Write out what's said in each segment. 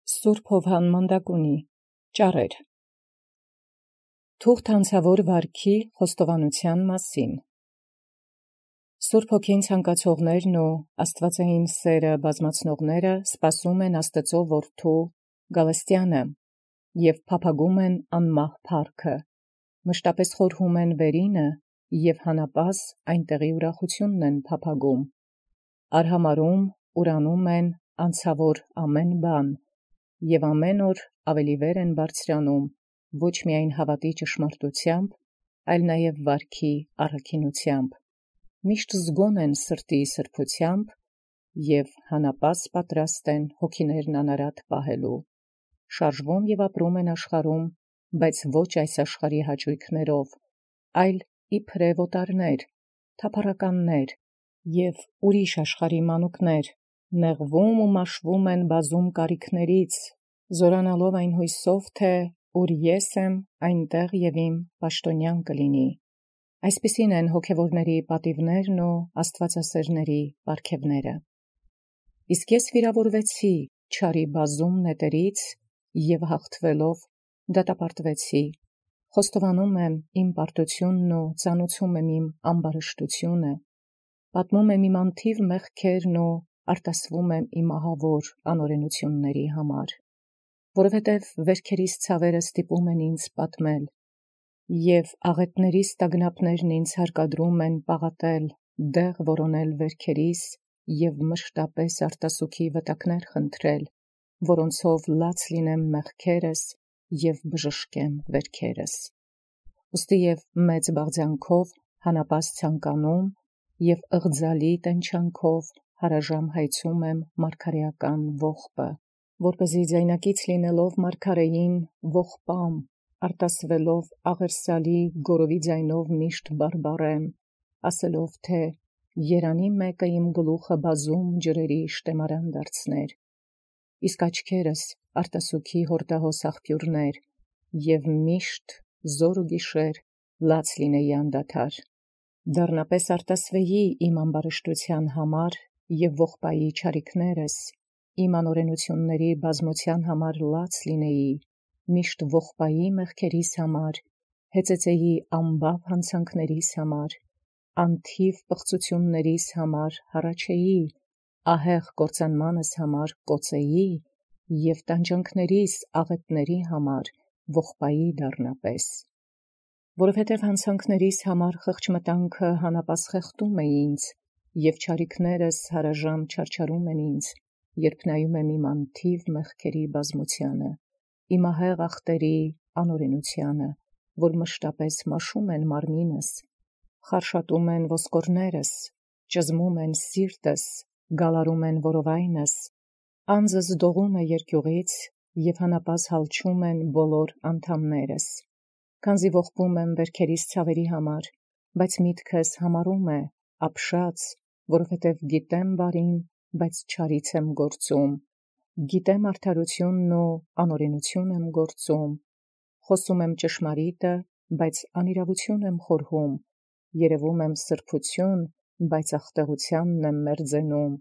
Սուրբ Հովհաննմանդակունի ճառեր Թուղթ հանցավոր վարքի խոստովանության մասին Սուրբ Հոգին ցանկացողներն ու աստվածային սերը բազմացնողները սպասում են Աստծո Որդու Գալստյանը և փափագում են անմահ փառքը, մշտապես խորհում են վերինը և հանապազ այնտեղի ուրախությունն են փափագում, արհամարհում ուրանում են անցավոր ամեն բան, և ամեն օր ավելի վեր են բարձրանում, ոչ միայն հավատի ճշմարտությամբ, այլ նաև վարքի առաքինությամբ, միշտ զգոն են սրտի սրբությամբ և հանապազ պատրաստ են հոգիներն անարատ պահելու, շարժվում և ապրում են աշխարհում, բայց ոչ այս աշխարհի հաճույքներով, այլ իբրև օտարներ, թափառականներ և ուրիշ աշխարհի մանուկներ, նեղվում ու մաշվում են բազում կարիքներից, զորանալով այն հույսով, թե ուր ես եմ, այնտեղ և իմ պաշտոնյան կլինի. Այսպիսին են հոգևորների պատիվներն ու աստվածասերների պարգևները։ Իսկ ես վիրավորվեցի չարի բազում նետերից և հաղթվելով դատապարտվեցի, խոստովանում եմ իմ պարտությունն ու ծանուցում եմ իմ ամբարշտությունը, պատմում եմ իմ անթիվ մեղքերն ու արտասվում եմ իմ ահավոր անօրենությունների համար, որովհետև վերքերիս ցավերը ստիպում են ինձ պատմել, և աղետներիս տագնապներն ինձ հարկադրում են պաղատել, դեղ որոնել վերքերիս և մշտապես արտասուքի վտակներ խնդրել, որոնցով լաց լինեմ մեղքերս և բժշկեմ վերքերս։ Ուստի և մեծ բաղձանքով հանապազ ցանկանում և ըղձալի տենչանքով հարաժամ հայցում եմ մարգարեական ողբը, որպեսզի ձայնակից լինելով մարգարեին ողբամ, արտասվելով աղերսալի գորովի ձայնով միշտ բարբառեմ, ասելով, թե երանի մեկը իմ գլուխը բազում ջրերի շտեմարան դարձներ, իսկ աչքերս արտասուքի հորդահոս աղբյուրներ, և միշտ զոր ու գիշեր լաց լինեի անդադար, դառնապես արտասվեի իմ ամբարշտության համար և ողբայի չարիքներս, իմ անօրենությունների բազմության համար լաց լինեի, միշտ ողբայի մեղքերիս համար, հեծեծեի անբավ հանցանքներիս համար, անթիվ պղծություններիս համար հառաչեի, ահեղ կործանմանս համար կոծեի և տանջանքներիս աղետների համար ողբայի դառնապես, որովհետև հանցանքներիս համար խղճմտանքը հանապազ խեղդում է ինձ, և չարիքներս հարաժամ չարչարում են ինձ, երբ նայում եմ իմ անթիվ մեղքերի բազմությանը, իմ ահեղ ախտերի անօրենությանը, որ մշտապես մաշում են մարմինս, խարշատում են ոսկորներս, ճզմում են սիրտս, գալարում են որովայնս, անձս դողում է երկյուղից և հանապազ հալչում են բոլոր անդամներս, քանզի ողբում եմ վերքերիս ցավերի համար, բայց միտքս համառում է, ապշած, որովհետև գիտեմ բարին, բայց չարից եմ գործում, գիտեմ արդարությունն ու անօրենություն եմ գործում, խոսում եմ ճշմարիտը, բայց անիրավություն եմ խորհում, երևում եմ սրբություն, բայց ախտեղությանն եմ մերձենում,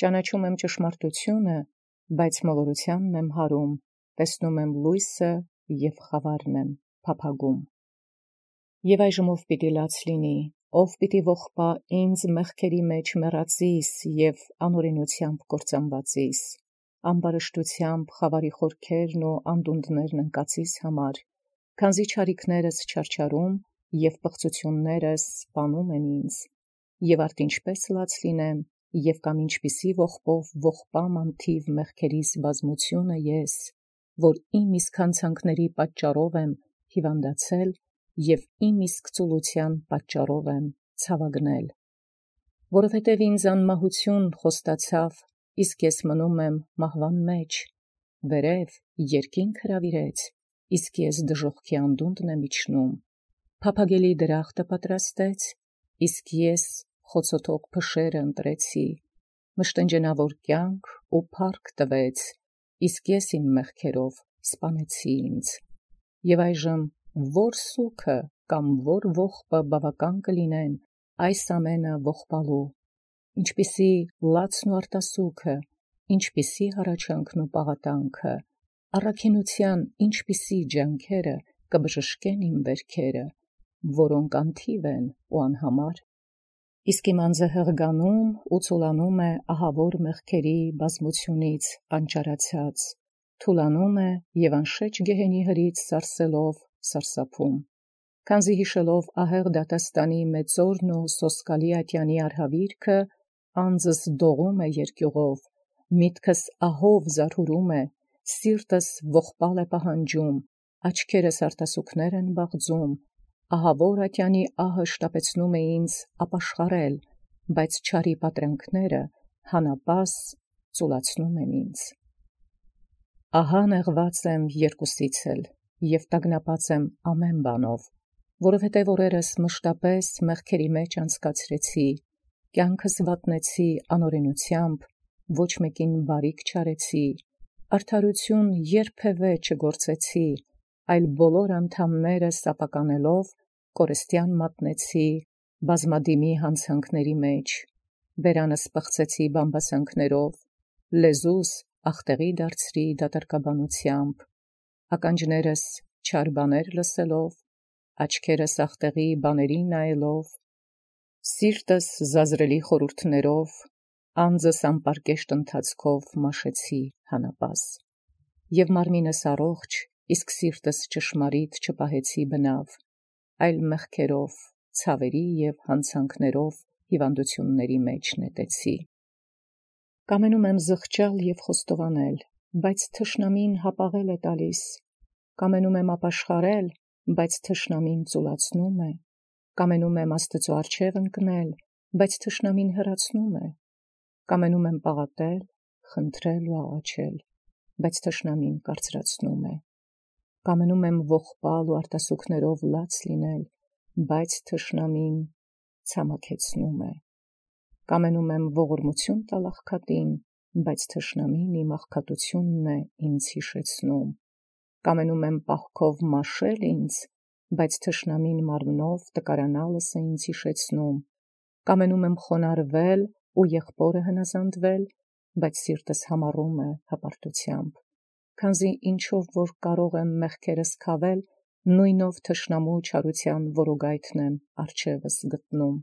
ճանաչում եմ ճշմարտությունը, բայց մոլորությանն եմ հարում, տեսնում եմ լույսը և խավարն եմ փափագում։ Եվ այժմ ով պիտի լաց լինի, ով պիտի ողբա ինձ մեղքերի մեջ մեռածիս և անօրենությամբ կործանվածիս, ամբարշտությամբ խավարի խորքերն ու անդունդներն ընկածիս համար, քանզի չարիքներս չարչարում և պղծություններս սպանում են ինձ, և արդ ինչպես լաց լինեմ, և կամ ինչպիսի ողբով ողբամ անթիվ մեղքերիս բազմությունը ես, որ իմ իսկ հանցանքների պատճառով եմ հիվանդացել և իմ իսկ ծուլության պատճառով եմ ցավագնել, որովհետև ինձ անմահություն խոստացավ, իսկ ես մնում եմ մահվան մեջ, վերև երկինք հրավիրեց, իսկ ես դժոխքի անդունդն եմ իջնում, փափագելի դրախտը պատրաստեց, իսկ ես խոցոթող փշերը ընտրեցի, մշտնջենավոր կյանք ու փառք տվեց, իսկ ես իմ մեղքերով սպանեցի ինձ, և այժմ որ սուգը կամ որ ողբը բավական կլինեն այս ամենը ողբալու, ինչպիսի լացն ու արտասուքը, ինչպիսի հառաչանքն ու պաղատանքը, առաքինության ինչպիսի ջանքերը կբժշկեն իմ վերքերը, որոնք անթիվ են ու անհամար։ Իսկ իմ անձը հղգանում ու ցուլանում է ահավոր մեղքերի բազմությունից անճարացած, թուլանում է և անշեջ գեհենի հրից սարսելով սարսափում, քանզի հիշելով ահեղ դատաստանի մեծորն ու սոսկալի ատյանի արհավիրքը, անձս դողում է երկյուղով, միտքս ահով զարհուրում է, սիրտս ողբալ է պահանջում, աչքերս արտասուքներ են բաղձում, ահավոր ատյանի ահը շտապեցնում է ինձ ապաշխարել, բայց չարի պատրանքները հանապաս ծուլացնում են ինձ։ Ահա նեղված եմ երկուսից էլ, և տագնապած եմ ամեն բանով, որովհետև օրերս մշտապես մեղքերի մեջ անցկացրեցի, կյանքս վատնեցի անօրենությամբ, ոչ մեկին բարիք չարեցի, արդարություն երբևէ չգործեցի, այլ բոլոր անդամներս ապականելով կորստյան մատնեցի բազմադիմի հանցանքների մեջ, բերանս պղծեցի բամբասանքներով, լեզուս ախտեղի դարձրի դատարկաբանությամբ, ականջներս չար բաներ լսելով, աչքերս ախտեղի բաների նայելով, սիրտս զազրելի խորհուրդներով, անձս անպարկեշտ ընթացքով մաշեցի հանապաս, և մարմինս առողջ, իսկ սիրտս ճշմարիտ չպահեցի բնավ, այլ մեղքերով, ցավերի և հանցանքներով հիվանդությունների մեջ նետեցի։ Կամենում եմ զղջալ և խոստովանել, բայց թշնամին հապաղել է տալիս, կամենում եմ ապաշխարել, բայց թշնամին ծուլացնում է, կամենում եմ Աստծու առջև ընկնել, բայց թշնամին հեռացնում է, կամենում եմ պաղատել, խնդրել ու աղաչել, բայց թշնամին կարծրացնում է, կամենում եմ ողբալ ու արտասուքներով լաց լինել, բայց թշնամին ցամաքեցնում է, կամենում եմ ողորմություն տալ աղքատին, բայց թշնամին իմ աղքատությունն է ինձ հիշեցնում, կամենում եմ պահքով մաշել ինձ, բայց թշնամին մարմնով տկարանալս է ինձ հիշեցնում, կամենում եմ խոնարհվել ու եղբորը հնազանդվել, բայց սիրտս համառում է հպարտությամբ, քանզի ինչով որ կարող եմ մեղքերս քավել, նույնով թշնամու չարության որոգայթն եմ առջևս գտնում։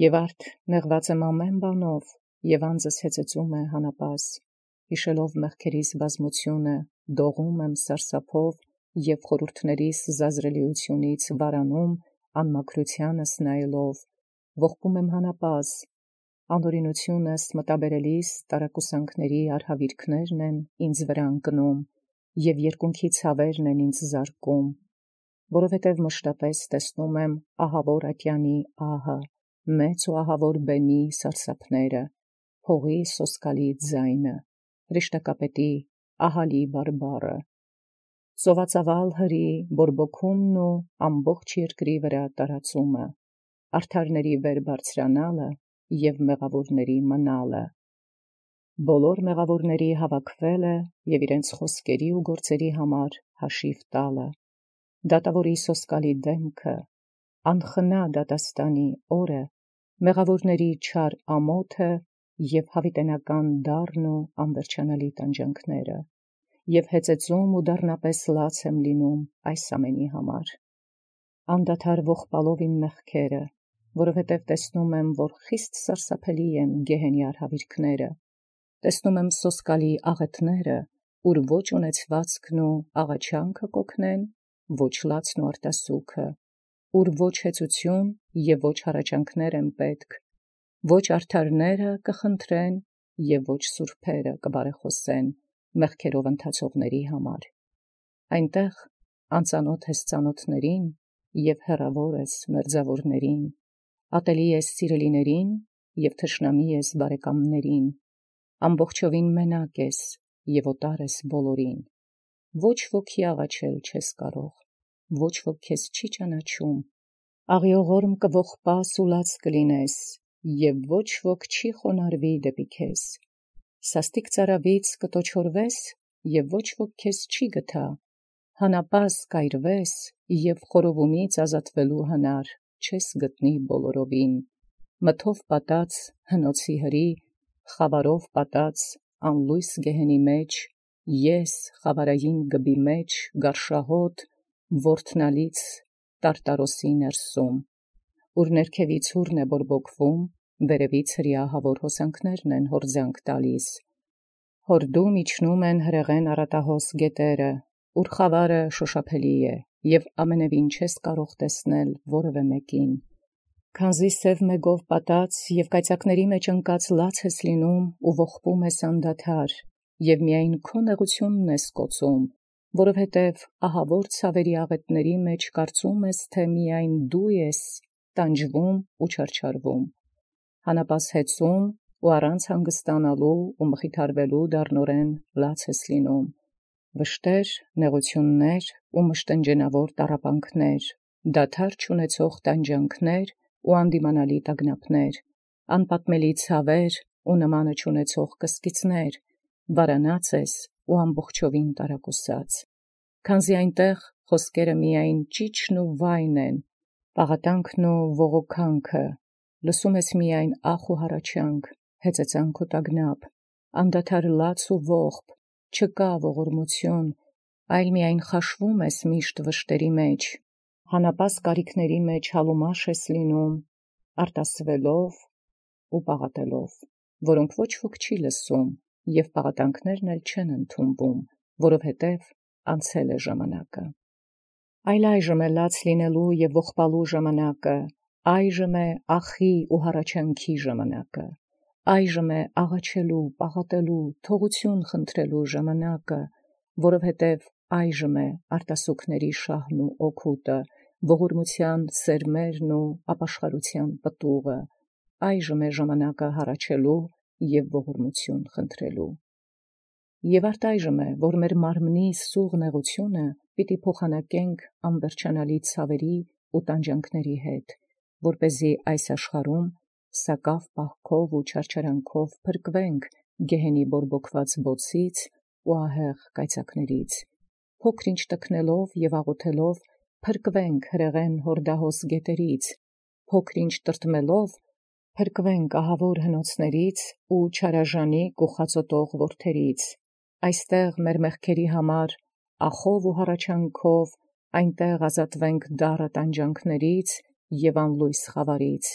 Եվ արդ նեղված եմ ամեն բանով, և անձս հեծեծում է հանապաս, հիշելով մեղքերիս բազմությունը, դողում եմ սարսափով և խորհուրդներիս զազրելիությունից վարանում անմաքրությանս նայելով, ողբում եմ հանապաս, անօրենությունս մտաբերելիս տարակուսանքների արհավիրքներն են ինձ վրա ընկնում, և երկունքի ցավերն են ինձ զարկում, որովհետև մշտապես տեսնում եմ ահավոր ատյանի ահը, մեծ ու ահավոր բենի սարսափները, հողի սոսկալի ձայնը, հրեշտակապետի ահալի բարբառը, ծովածավալ հրի բորբոքումն ու ամբողջ երկրի վրա տարածումը, արդարների վեր բարձրանալը և մեղավորների մնալը, բոլոր մեղավորների հավաքվելը և իրենց խոսքերի ու գործերի համար հաշիվ տալը, դատավորի սոսկալի դեմքը, անխնա դատաստանի օրը, մեղավորների չար ամոթը և հավիտենական դառն ու անվերջանալի տանջանքները, և հեծեծում ու դառնապես լաց եմ լինում այս ամենի համար, անդադար ողբալով իմ մեղքերը, որովհետև տեսնում եմ, որ խիստ սարսափելի են գեհենի արհավիրքները, տեսնում եմ սոսկալի աղետները, ուր ոչ ունեցվածքն ու աղաչանքը կօգնեն, ոչ լացն ու արտասուքը, ուր ոչ հեծություն և ոչ հառաչանքներ են պետք, ոչ արդարները կխնդրեն և ոչ սուրբերը կբարեխոսեն մեղքերով ընթացողների համար, այնտեղ անծանոթ ես ծանոթներին և հեռավոր ես մերձավորներին, ատելի ես սիրելիներին և թշնամի ես բարեկամներին, ամբողջովին մենակ ես և օտար ես բոլորին, ոչ ոքի աղաչել չես կարող, ոչ ոք քեզ չի ճանաչում, աղիողորմ կողբաս ու լաց կլինես, և ոչ ոք չի խոնարհվի դեպի քեզ, սաստիկ ծարավից կտոչորվես, և ոչ ոք քեզ չի գթա, հանապաս կայրվես, և խորովումից ազատվելու հնար չես գտնի բոլորովին, մթով պատած հնոցի հրի, խավարով պատած անլույս գեհենի մեջ, ես խավարային գբի մեջ գարշահոտ, որդնալից տարտարոսի ներսում, ուր ներքևից հուրն է բորբոքվում, վերևից հրեահավոր հոսանքներն են հորձանք տալիս, հորդում իջնում են հրեղեն առատահոս գետերը, ուր խավարը շոշափելի է, և ամենևին չես կարող տեսնել որևէ մեկին, քանզի սև մեգով պատած և կայծակների մեջ ընկած լաց ես լինում ու ողբում ես անդադար, և միայն քո նեղությունն ես կոծում, որովհետև ահավոր ցավերի աղետների մեջ կարծում ես, թե միայն դու ես տանջվում ու չարչարվում, հանապաս հեծում ու առանց հանգստանալու ու մխիթարվելու դառնորեն լաց ես լինում, վշտեր, նեղություններ ու մշտնջենավոր տառապանքներ, դադար չունեցող տանջանքներ ու անդիմանալի տագնապներ, անպատմելի ցավեր ու նմանը չունեցող կսկիծներ, վարանած ես ու ամբողջովին տարակուսած, քանզի այնտեղ խոսքերը միայն ճիչն ու վայն են, պաղատանքն ու ողոքանքը, լսում ես միայն ախ ու հառաչանք, հեծեծանք ու տագնապ, անդադար լաց ու ողբ, չկա ողորմություն, այլ միայն խաշվում ես միշտ վշտերի մեջ, հանապաս կարիքների մեջ հալումաշ ես լինում, արտասվելով ու պաղատելով, որոնք ոչ ոք չի լսում, և պաղատանքներն էլ չեն ընդունվում, որովհետև անցել է ժամանակը։ Այլ այժմ է լաց լինելու և ողբալու ժամանակը, այժմ է ախի ու հառաչանքի ժամանակը, այժմ է աղաչելու, պաղատելու, թողություն խնդրելու ժամանակը, որովհետև այժմ է արտասուքների շահն ու օգուտը, ողորմության սերմերն ու ապաշխարության պտուղը, այժմ է ժամանակը հառաչելու և ողորմություն խնդրելու։ Եվ այժմ է, որ մեր մարմնի սուղ նեղությունը պիտի փոխանակենք անվերջանալի ցավերի ու տանջանքների հետ, որպեսզի այս աշխարհում սակավ պահքով ու չարչարանքով փրկվենք գեհենի բորբոքված բոցից ու ահեղ կայծակներից, փոքր-ինչ տքնելով և աղոթելով փրկվենք հրեղեն հորդահոս գետերից, փոքր-ինչ տրտմելով փրկվենք ահավոր հնոցներից ու չարաժանիկ ու խածոտող որդերից, այստեղ մեր մեղքերի համար ախով ու հառաչանքով, այնտեղ ազատվենք դառը տանջանքներից և անլույս խավարից,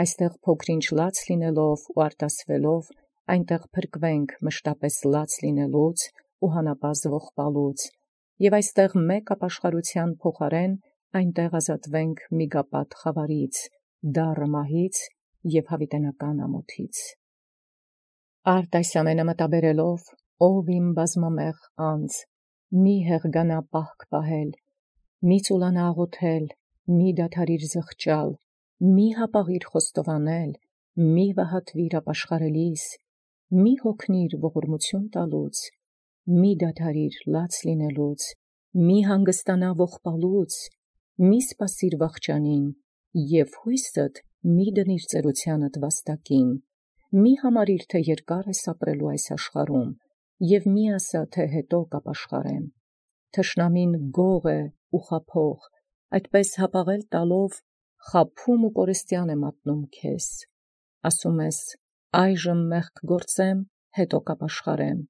այստեղ փոքր-ինչ լաց լինելով ու արտասվելով, այնտեղ փրկվենք մշտապես լաց լինելուց ու հանապազ් ողբալուց, և այստեղ մեկ ապաշխարության փոխարեն այնտեղ ազատվենք միգապատ խավարից, դառը մահից և հավիտենական ամոթից։ Արդ այս ամենը մտաբերելով, ով իմ բազմամեղ անձ, մի հեղգանա պահք պահել, մի ծուլանա աղոթել, մի դադարիր զղջալ, մի հապաղիր խոստովանել, մի վհատվիր ապաշխարելիս, մի հոգնիր ողորմություն տալուց, մի դադարիր լաց լինելուց, մի հանգստանա ողբալուց, մի սպասիր վախճանին, և հույսդ մի դնիր ծերությանդ վաստակին, մի համարիր, թե երկար ես ապրելու այս աշխարհում, և մի ասա, թե հետո կապաշխարեմ, թշնամին գող է ու խաբող, այդպես հապաղել տալով խաբում ու կորստյան է մատնում քեզ, ասում ես, այժմ մեղք գործեմ, հետո կապաշխարեմ,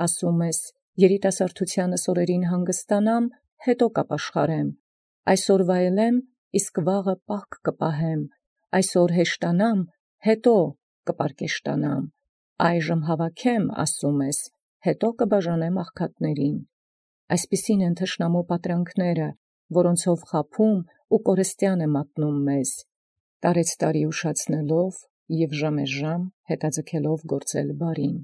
ասում ես, երիտասարդությանս օրերին հանգստանամ, հետո կապաշխարեմ, այսօր վայելեմ, իսկ վաղը պահք կպահեմ, այսօր հեշտանամ, հետո կպարկեշտանամ, այժմ հավաքեմ, ասում ես, հետո կբաժանեմ աղքատներին, այսպիսին են թշնամու պատրանքները, որոնցով խաբում ու կորստյան է մատնում մեզ, տարեցտարի ուշացնելով և ժամեժամ հետաձգելով գործել բարին։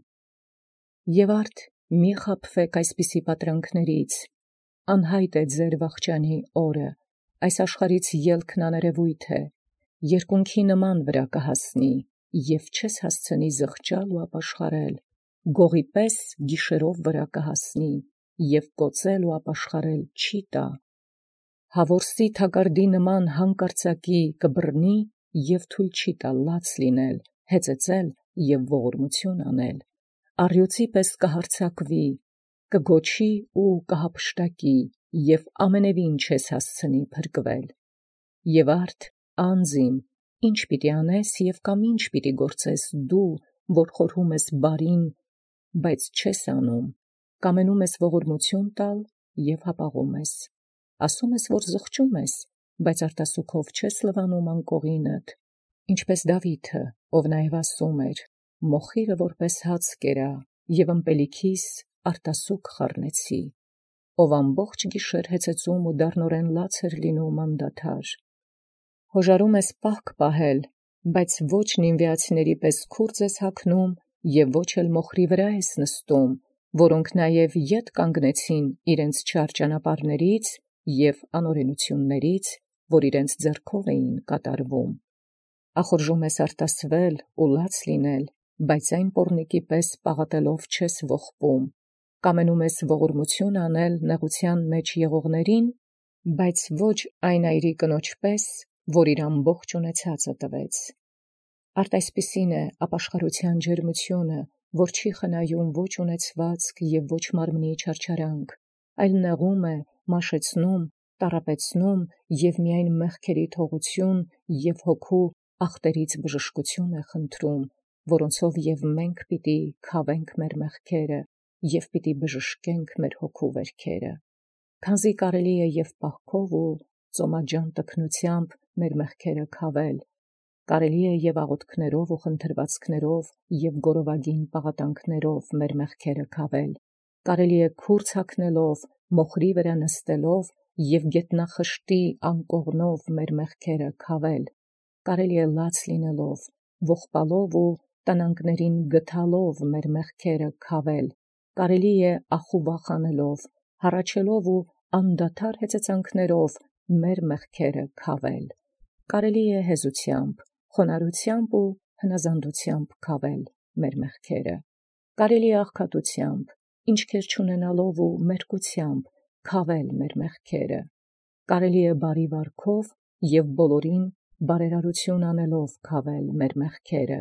Եվ արդ մի խաբվեք այսպիսի պատրանքներից, անհայտ է ձեր վախճանի օրը, այս աշխարհից ելքն աներևույթ է, երկունքի նման վրա կհասնի, և չես հասցնի զղջալ ու ապաշխարել, գողի պես գիշերով վրա կհասնի, և կոծել ու ապաշխարել չի տա, հավորսի թագարդի նման հանկարծակի կբռնի և թույլ չի տա լաց լինել, հեծեծել և ողորմություն անել, առյուծի պես կհարձակվի, կգոչի ու կհափշտակի, և ամենևին չես հասցնի փրկվել։ Եվ արդ անձ իմ, ինչ պիտի անես և կամ ինչ պիտի գործես դու, որ խորհում ես բարին, բայց չես անում, կամենում ես ողորմություն տալ և հապաղում ես, ասում ես, որ զղջում ես, բայց արտասուքով չես լվանում անկողինդ, ինչպես Դավիթը, ով նաև ասում էր, մոխիրը որպես հաց կերա, և ըմպելիքիս արտասուք խառնեցի, ով ամբողջ գիշեր հեծեծում ու դառնորեն լաց էր լինում անդադար, հոժարում ես պահք պահել, բայց ոչ նինվիացիների պես քուրձ ես հագնում և ոչ էլ մոխրի վրա ես նստում, որոնք նաև ետ կանգնեցին իրենց չար ճանապարհներից և անօրենություններից, որ իրենց ձեռքով էին կատարվում։ Ախորժում ես արտասվել ու լաց լինել, բայց այն պոռնիկի պես պաղատելով չես ողբում, կամենում ես ողորմություն անել նեղության մեջ եղողներին, բայց ոչ այն այրի կնոջ պես, որ իր ամբողջ ունեցածը տվեց։ Արդ այսպիսին է ապաշխարության ջերմությունը, որ չի խնայում ոչ ունեցվածք և ոչ մարմնի չարչարանք, այլ նեղում է, մաշեցնում, տառապեցնում և միայն մեղքերի թողություն և հոգու ախտերից բժշկություն է խնդրում, որոնցով և մենք պիտի քավենք մեր մեղքերը և պիտի բժշկենք մեր հոգու վերքերը, քանզի կարելի է և պահքով ու ծոմաջան տքնությամբ մեր մեղքերը քավել, կարելի է և աղոթքներով ու խնդրվածքներով և գորովագին պաղատանքներով մեր մեղքերը քավել, կարելի է քուրձ հագնելով, մոխրի վրա նստելով և գետնախշտի անկողնով մեր մեղքերը քավել, կարելի է լաց լինելով, ողբալով ու տնանկներին գթալով մեր մեղքերը քավել, կարելի է ախու վախանելով, հառաչելով ու անդադար հեծեծանքներով մեր մեղքերը քավել, կարելի է հեզությամբ, խոնարհությամբ ու հնազանդությամբ քավել մեր մեղքերը, կարելի է աղքատությամբ, ինչքեր չունենալով ու մերկությամբ քավել մեր մեղքերը, կարելի է բարի վարքով և բոլորին բարերարություն անելով քավել մեր մեղքերը,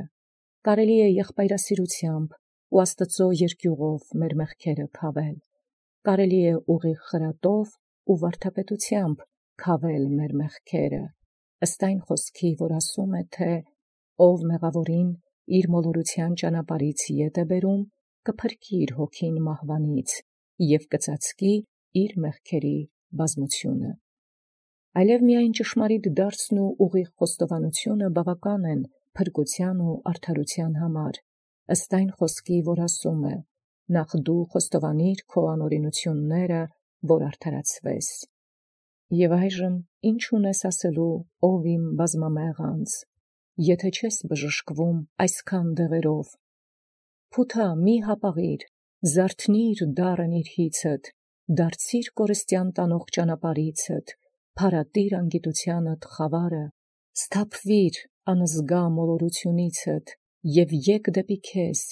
կարելի է եղբայրասիրությամբ ու Աստծո երկյուղով մեր մեղքերը քավել, կարելի է ուղիղ խրատով ու վարդապետությամբ քավել մեր մեղքերը, ըստ այն խոսքի, որ ասում է, թե ով մեղավորին իր մոլորության ճանապարհից ետ է բերում, կփրկի իր հոգին մահվանից և կծածկի իր մեղքերի բազմությունը։ Այլև միայն ճշմարիտ դարձն ու ուղիղ խոստովանությունը բավական են փրկության ու արդարության համար, ըստ այն խոսքի, որ ասում է. նախ դու խոստովանիր քո անօրենությունները, որ արդարացվես։ Եվ այժմ ինչ ունես ասելու, ով իմ բազմամեղ անձ, եթե չես բժշկվում այսքան դեղերով, փութա մի հապաղիր, զարթնիր դառն իր հիցդ, դարձիր կորստյան տանող ճանապարհիցդ, փարատիր անգիտությանդ խավարը, սթափվիր անզգա մոլորությունիցդ և եկ դեպի քեզ,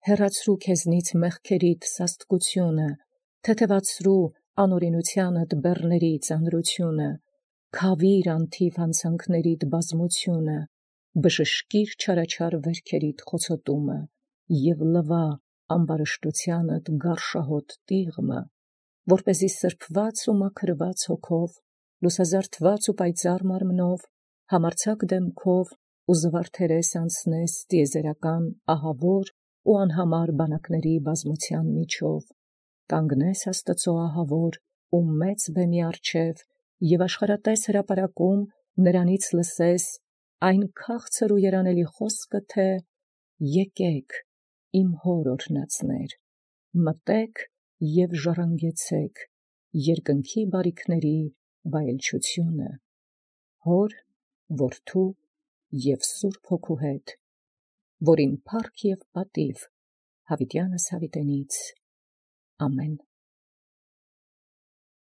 հեռացրու քեզնից մեղքերիդ սաստկությունը, թեթևացրու անօրենությանդ բեռների ծանրությունը, քավիր անթիվ հանցանքներիդ բազմությունը, բժշկիր չարաչար վերքերիդ խոցոտումը և լվա ամբարշտությանդ գարշահոտ տիղմը, որպեսզի սրբված ու մաքրված հոգով, լուսազարդված ու պայծառ մարմնով, համարձակ դեմքով ու զվարթերես անցնես տիեզերական ահավոր ու անհամար բանակների բազմության միջով, կանգնես Աստծո ահավոր ու մեծ բեմի առջև և աշխարհատես հրապարակում նրանից լսես այն քաղցր ու երանելի խոսքը, թե «Եկեք, իմ հոր օրհնածներ, մտեք և ժառանգեցեք երկնքի բարիքների վայելչությունը, Հոր, Որդու և Սուրբ Հոգու հետ, որին փառք և պատիվ հավիտյանս հավիտենից։ Ամեն։